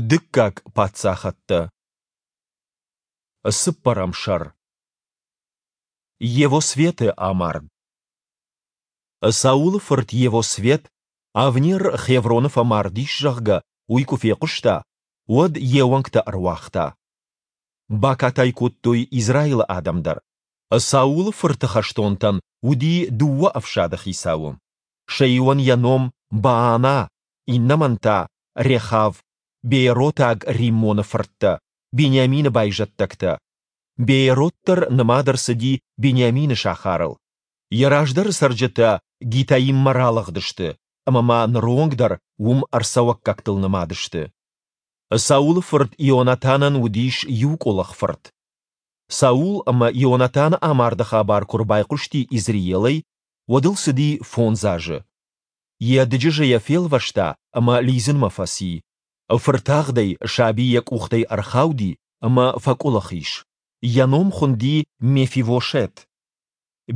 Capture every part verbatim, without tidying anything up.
Дыккаг паддзахӕдтӕ. Цыппӕрӕм сӕр. Йевосфеты амард. Саулы фырт Йевосфет, Авнер Хевроны фӕмард ис, зӕгъгӕ, уый куы фехъуыста, уӕд йе уӕнгтӕ ӕруагъта. Бакатай кодтой Израилы адӕм дӕр. Саулы фырты хӕстонтӕн уыди дыууӕ ӕфсады хицауы. Сӕ иуӕн йӕ ном Баана, иннӕмӕн та Рехав, бееротаг Риммоны фырттӕ, Бениамины байзӕддӕгтӕ. Беерот дӕр нымад ӕрцыди Бениамины сахарыл. Йӕ раздӕры цӕрджытӕ Гитаиммӕ ралыгъдысты, ӕмӕ ма ныры онг дӕр уым ӕрцӕуӕггӕгтыл нымад сты. Саулы фырт Ионатанӕн уыдис иу къуылых фырт. Саул ӕмӕ Ионатаны амарды хабар куы рбайхъуысти Изреелӕй, уӕд ыл цыди фондз азы. Йӕ дыджызӕ йӕ фелвӕста ӕмӕ лидзынмӕ фӕци. Фыртагъдӕй саби йӕ къухтӕй ӕрхауди ӕмӕ фӕкъуылых ис. Йӕ ном хуынди Мефивошет.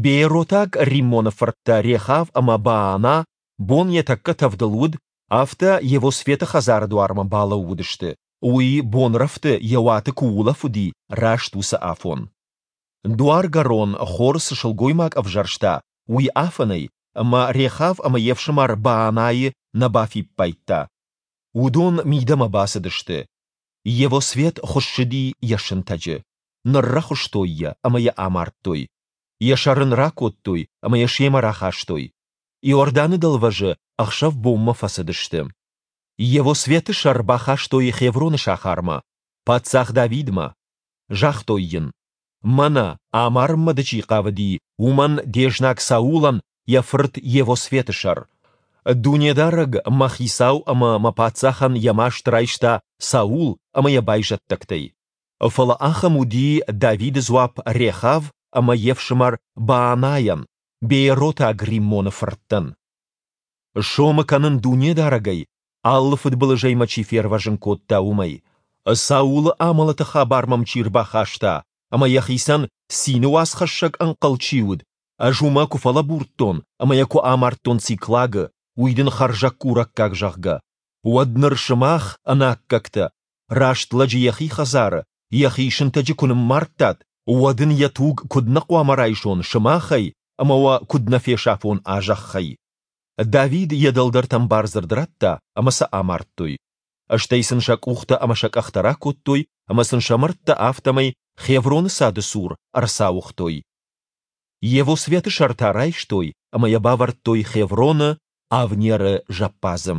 Бееротаг Риммоны фырттӕ Рехав ӕмӕ Баана, бон йӕ тӕккӕ тӕвдыл уыд, афтӕ Йевосфеты хӕдзары дуармӕ балӕууыдысты, уый бонрӕфты йӕ уаты куы улӕфыди, раст уыцы афон. Дуаргӕрон хор цы сылгоймаг ӕвзӕрста, уый афынӕй, ӕмӕ Рехав ӕмӕ йе фсымӕр Баанайы нӕ бафиппайдта. Уыдон мидӕмӕ бацыдысты. Йевосфет хуыссыди йӕ сынтӕджы. Ныррӕхуыстой йӕ ӕмӕ йӕ амардтой. Йӕ сӕр ын ракодтой ӕмӕ йӕ семӕ рахастой. Иорданы дӕлвӕзы ӕхсӕв-бонмӕ фӕцыдысты. Йевосфеты сӕр бахастой Хевроны сахармӕ, паддзах Давидмӕ. Загътой йын: Мӕнӕ, амарынмӕ дӕ чи хъавыди, уымӕн, де знаг Саулӕн, йӕ фырт Йевосфеты сӕр. Дунедарӕг мӕ хицау ӕмӕ мӕ паддзахӕн йӕ маст райста Саул ӕмӕ йӕ байзӕддӕгтӕй. Фӕлӕ ахӕм уыди Давиды дзуапп Рехав ӕмӕ йе фсымӕр Баанайӕн, бееротаг Риммоны фырттӕн. Сомы кӕнын Дунедарӕгӕй, алы фыдбылызӕй мӕ чи фервӕзын кодта, уымӕй. Саулы амӕлӕты хабар мӕм чи рбахаста ӕмӕ йӕхицӕн цины уацхӕссӕг ӕнхъӕл чи уыд, ӕз уымӕ куы фӕлӕбурдтон ӕмӕ йӕ куы амардтон Циклагы, уый дын хӕрзӕггурӕггаг, зӕгъгӕ, уӕд ныр сымах, ӕнаккӕгтӕ, раст лӕджы йӕхи хӕдзары, йӕхи сынтӕджы куы ныммардтат, уӕд ын йӕ туг куыд нӕ хъуамӕ райсон сымахӕй ӕмӕ уӕ куыд нӕ фесафон а зӕххӕй? Давид йӕ дӕлдӕртӕм бардзырд радта, ӕмӕ сӕ амардтой. Стӕй сын сӕ къухтӕ ӕмӕ сӕ къӕхтӕ ракодтой ӕмӕ сын сӕ мӕрдтӕ афтӕмӕй Хевроны цады цур ӕрцауыгътой. Йевосфеты сӕр та райстой ӕмӕ йӕ бавӕрдтой Хевроны, Авнеры зӕппадзы.